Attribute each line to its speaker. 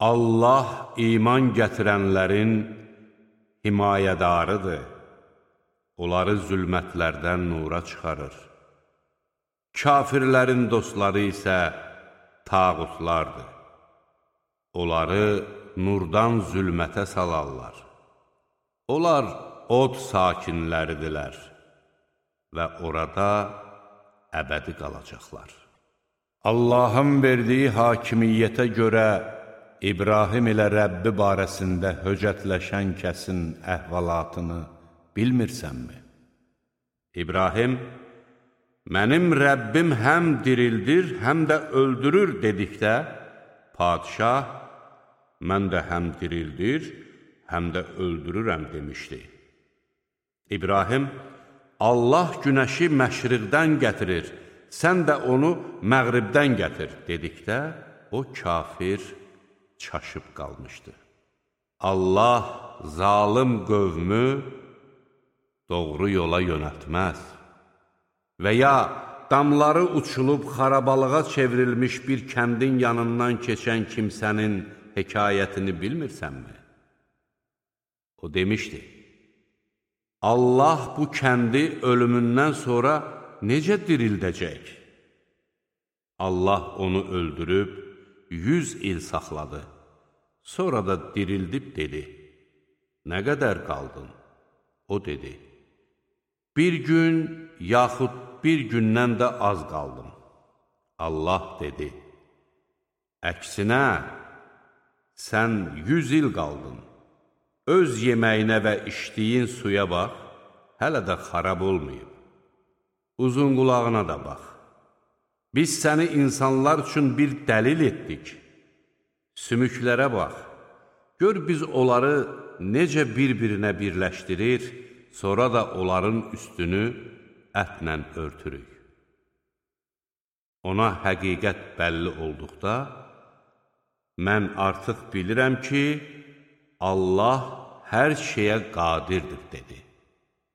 Speaker 1: Allah iman gətirənlərin himayədarıdır. Onları zülmətlərdən nura çıxarır. Kafirlərin dostları isə tağutlardır. Onları nurdan zülmətə salarlar. Onlar od sakinləridirlər və orada əbədi qalacaqlar. Allahın verdiyi hakimiyyətə görə İbrahim ilə Rəbbi barəsində höcətləşən kəsin əhvalatını bilmirsənmi? İbrahim, mənim Rəbbim həm dirildir, həm də öldürür dedikdə, padişah, mən də həm dirildir, həm də öldürürəm demişdi. İbrahim, Allah günəşi məşriqdən gətirir, sən də onu məğribdən gətir dedikdə, o kafir çaşıb qalmışdı. Allah zalım qövmü doğru yola yönəltməz. Və ya damları uçulub xarabalığa çevrilmiş bir kəndin yanından keçən kimsənin hekayətini bilmirsənmi? O demişdi, Allah bu kəndi ölümündən sonra necə dirildəcək? Allah onu öldürüb 100 il saxladı. Sonra da dirildib dedi, nə qədər qaldın? O dedi, bir gün yaxud bir gündən də az qaldım. Allah dedi, əksinə, sən 100 il qaldın. Öz yeməyinə və içdiyin suya bax, hələ də xarab olmayıb. Uzun qulağına da bax. Biz səni insanlar üçün bir dəlil etdik. Sümüklərə bax. Gör biz onları necə bir-birinə birləşdirir, sonra da onların üstünü ətlə örtürük. Ona həqiqət bəlli olduqda, mən artıq bilirəm ki, Allah hər şeyə qadirdir, dedi.